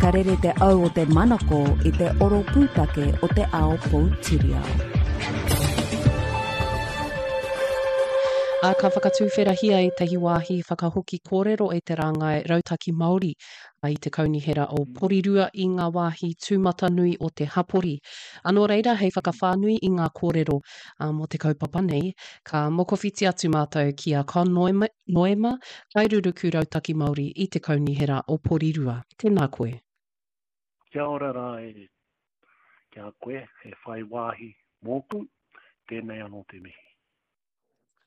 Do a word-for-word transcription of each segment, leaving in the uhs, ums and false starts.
Ka rere te au o te manako i te oro pūtake o te ao poutiriao. Ā, ka whakatuwherahia ētahi wāhi whakahoki kōrero e te rāngai Rautaki Māori i te Kaunihera o Porirua i ngā wāhi tūmatanui o te hapori. Ā, nō reira, hei whakawhānui i ngā kōrero mō te kaupapa nei, ka mokowhiti atu mātou ki a Con Noema, Kairuruku Rautaki Māori i te Kaunihera o Porirua. Tēnā koe. Kia ora rā e ki a koe, he whai wāhi mōku, tēnei anō te mihi.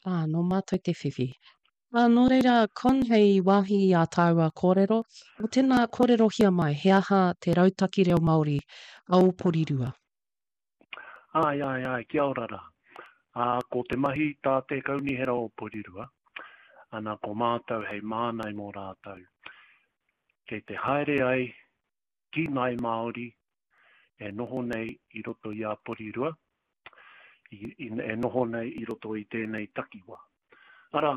Ā, nō mātou te whiwhi. Ā, nō reira, Con, hei wāhi i ā tāua kōrero, o tēnā kōrerohia mai, he aha te rautaki reo Māori a ō Porirua? Āe, āe, āe, kia ora rā. Ā, ko te mahi tā te Kaunihera o Porirua, ana ko mātou hei mānai mō rātou. Kei te haere ai ki Ngāi Māori e noho nei i roto i a Porirua, i, i, e noho nei i roto i tēnei takiwā. Arā,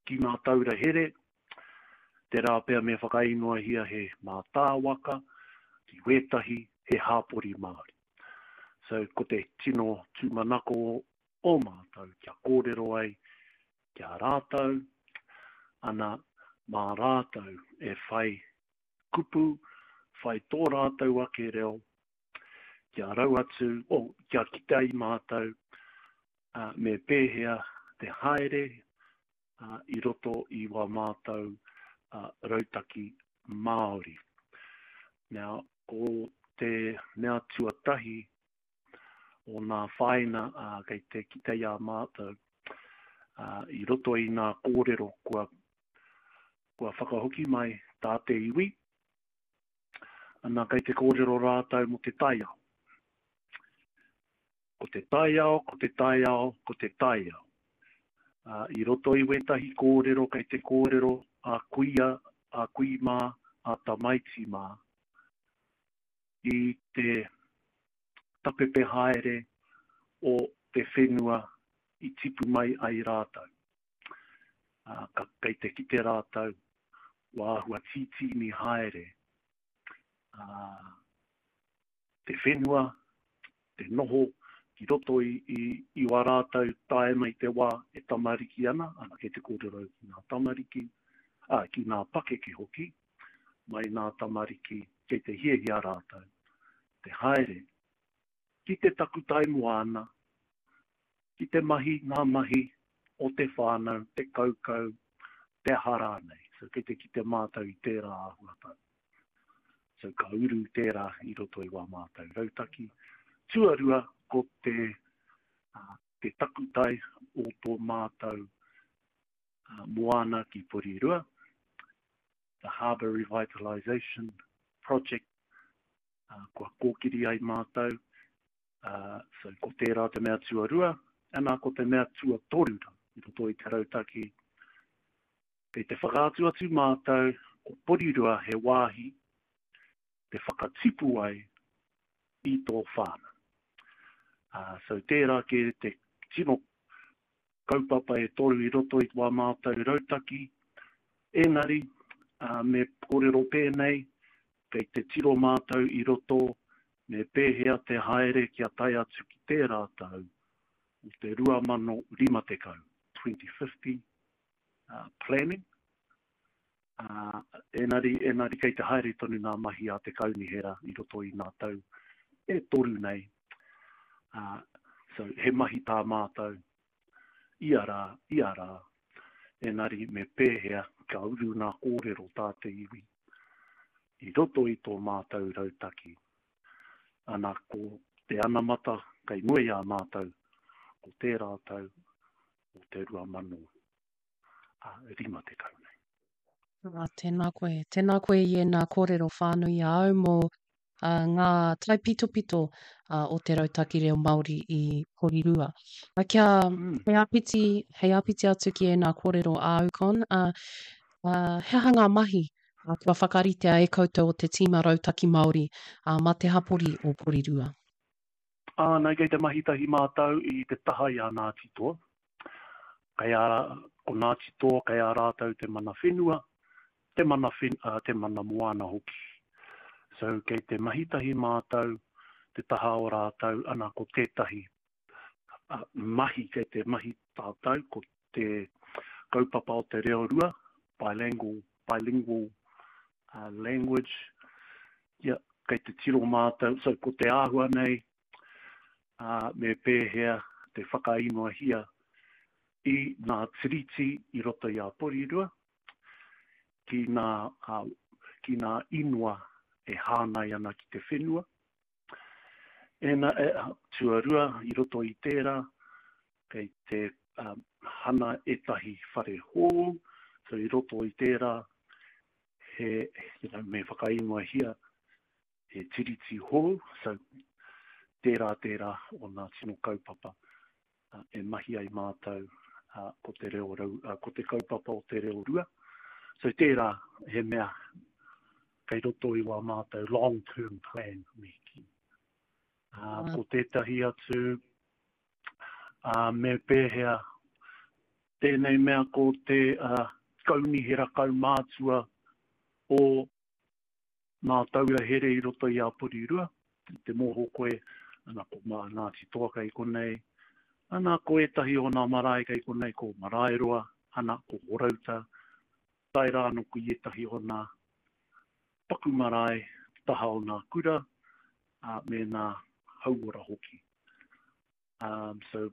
ki ngā taura here, tērā pea me whakaingoahia he mātāwaka, ki wētahi he hāpori Māori. So, ko te tino tūmanako o mātou kia kōrero ai ki a rātou, ana, mā rātou e whai kupu, whai tō rātou ake reo, kia rau atu, oh, kia kite ai mātou uh, me pēhea te haere uh, i roto i wā mātou uh, rautaki Māori. Now, ko te mea tuatahi o nā whāina uh, kei te kite i a mātou uh, i roto i nā kōrero kua, kua whakahoki mai tā te iwi, ana kei te kōrero rātou mō te taiao. Ko te taiao, ko te taiao, ko te taiao. Uh, i roto i wētahi kōrero kei te kōrero a kuia, a kui mā, a tamaiti mā, i te tapepe haere o te whenua i tipu mai ai rātou. Uh, ka, kei te kite rātou wā āhua tītīni haere uh, te whenua, te noho ki roto i, i, i wā rātou tae mai te wā e tamariki ana, ana kei te kōrero ki ngā tamariki, ā, ki ngā pakeke hoki, mai ngā tamariki kei te hiahia rātou, te haere ki te takutai moana, ki te mahi ngā mahi o te whānau, te kaukau, te aha rānei. So kei te kite mātou i tērā āhuatanga. So ka uru tērā i roto i wā mātou rautaki. Tuarua, ko te, uh, te takutai o tō mātou uh, moana ki Porirua, the Harbour Revitalisation Project, uh, kua kōkiri ai mātou. Uh, so ko tērā te mea tuarua, ana ko te mea tuatoru i roto i te rautaki. Kei te whakaatu atu mātou ko Porirua he wāhi te whakatipu ai i tō whānau. Uh, so tērā ke te tino kaupapa e toru i roto i wā mātou rautaki. Engari, uh, me kōrero pēnei, kei te tiro mātou i roto me pēhea te haere kia tae atu ki tērā tau o te rua mano rima tekau, twenty fifty uh, planning. Uh, enari, enari kei te haere tonu ngā mahi a te kaunihera i roto i ngā tau e toru nei. Uh, so he mahi tā mātou ia rā, ia rā, enari me pēhea ka uru ngā kōrero tā te iwi i roto i tō mātou rautaki. Ana ko te anamata kei mua i a mātou, ko tērā tau o te rua mano rima tekau nei. Ah, tēnā koe. Tēnā koe i ēnā kōrero whānui a au mō uh, ngā taipitopito uh, o te rautaki reo Māori i Porirua. Uh, kia Mm. hei āpiti, hei āpiti atu ki ēnā kōrero a au, Con, uh, uh, he aha ngā mahi uh, kua whakaritea e koutou o te tīma rautaki Māori uh, mā te hapori o Porirua? Ah, nei, kei te mahi tahi mātou i te taha i a Ngāti Toa. Kei a, ko Ngāti Toa, kei a rātou te mana whenua, te mana, when, uh, te mana moana hoki. So kei te mahi tahi mātou, te taha o rātou, ana ko tētahi uh, mahi kei te mahi tātou, ko te kaupapa o te reo rua, bilingual, bilingual uh, language. Yeah, kei te tiro mātou, so ko te āhua nei, uh, me pēhea te whakaingoahia i ngā tiriti i roto i a Porirua, ki ngā, uh, ki ngā ingoa e hāngai ana ki te whenua. Ena, e, tuarua i roto i tērā, kei te um, hana ētahi whare hou, so i roto i tērā, he, you know, me whakaingoahia he tiriti hou, so tērā tērā o ngā tino kaupapa uh, e mahi ai mātou uh, ko te reo rau, uh, ko te kaupapa o te reo rua. So tērā he mea kei roto i wā mātou long term plan me kī. Uh, ko tētahi atu uh, me pēhea tēnei mea ko te uh, kaunihera kaumātua o ngā taura here i roto i a Porirua, i te mōhio koe, ana ko mā Ngāti Toa kei konei, ana ko ētahi o ngā marae kei konei, ko Maraeroa, ana ko Horouta, tae rā anō ki ētahi o ngā paku marae, taha o ngā kura, uh, me ngā hauora hoki. Um, so,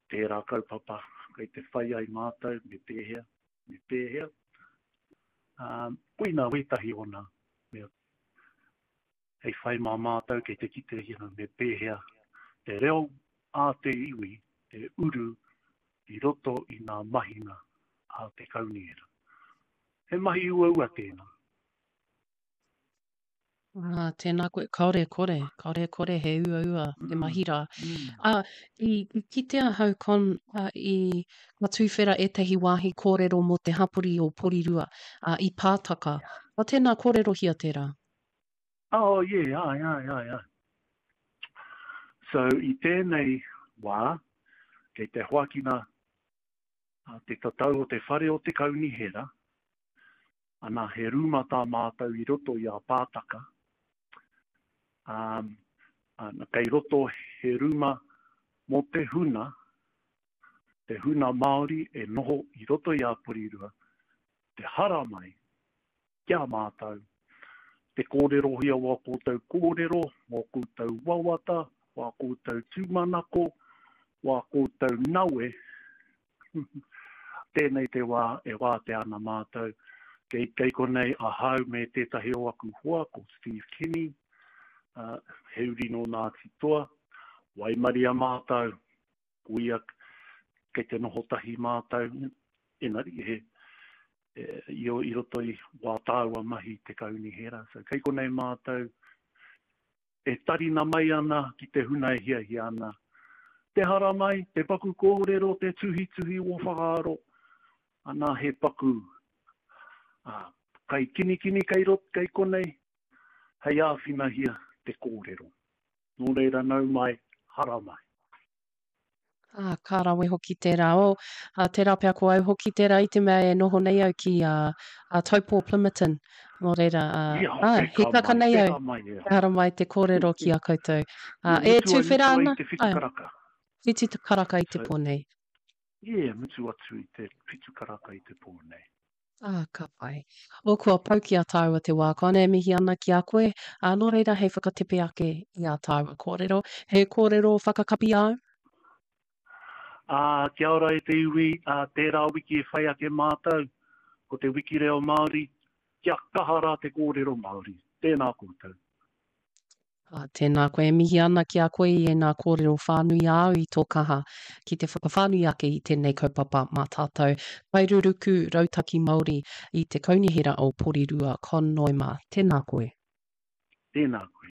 tērā kaupapa kei te whai ai mātou, me pēhea, me pēhea. Um, koina wētahi o ngā mea hei whai mā mātou kei te kite you know, me pēhea te reo a te iwi e uru i roto i ngā mahinga a te kaunihera. He mahi uaua tēnā. Ah, tēnā koe, kāore e kore, kāore e kore he uaua te mahi rā. Mm. Ah, i, i kite ahau Con, ah, i ka tūwhera ētahi wāhi kōrero mō te hapori o Porirua, ah, i Pātaka. Ah, tēnā kōrerohia tērā. Oh, yeah, ai, ai, ai, ai. So, i tēnei wā, kei te hoakina uh, te tatau o te whare o te kaunihera, ana he rūma tā mātou i roto i a Pātaka. Um, ana, kei roto he rūma mō te huna, te huna Māori e noho i roto i a Porirua, te haramai ki a mātou, te kōrerohia wā koutou kōrero, wā koutou wawata, wā koutou tūmanako, wā koutou nawe. Tēnei te wā e wātea ana mātou. Kei, kei konei ahau me tētahi o aku hoa, ko Steve Kinney, uh, he uri nō Ngāti Toa, waimaria mātou, ko ia kei te noho tahi mātou, engari he, e, i, i roto i wā tāua mahi te kaunihera. So, kei konei mātou e tarina mai ana ki te huna e hiahia ana. Te haramai, te paku kōrero, te tuhituhi o whakaaro, ana he paku uh, kai kinikini kei rot, kei konei, hei āwhinahia te kōrero. Nō reira nau mai, haramai. Ah, ka rawe hoki tērā. O, ah, tērā pea ko au hoki tērā i te mea e noho nei au ki uh, uh, Taupō Plimmerton. Nō reira, uh, Ia, ah, peka he taka mai, nei au. peka mai, e. Te haramai te kōrero ki a koutou. Ah, e Mutu ai, tūwhera mutu ai ana, te whitu ai, karaka. whitu te karaka i te So, pō nei. yeah, mutu atu i te whitu karaka i te pō nei. Ah, ka pai. O, kua pau ki a tāua te wā Con, e mihi ana ki a koe. Ah, nō reira hei whakatepe ake i a tāua kōrero. He kōrero whakakapi āu? Ā, kia ora e te iwi, ā, tērā wiki e whai ake mātou, ko te wiki reo Māori, kia kaha rā te kōrero Māori. Tēnā koutou. Ah, tēnā koe, e mihi ana ki a koe i ēnā kōrero whānui āu i tō kaha ki te whakawhānui ake i tēnei kaupapa mā tātou. Kairuruku Rautaki Māori i te Kaunihera o Porirua, Con Noema. Tēnā koe. Tēnā koe.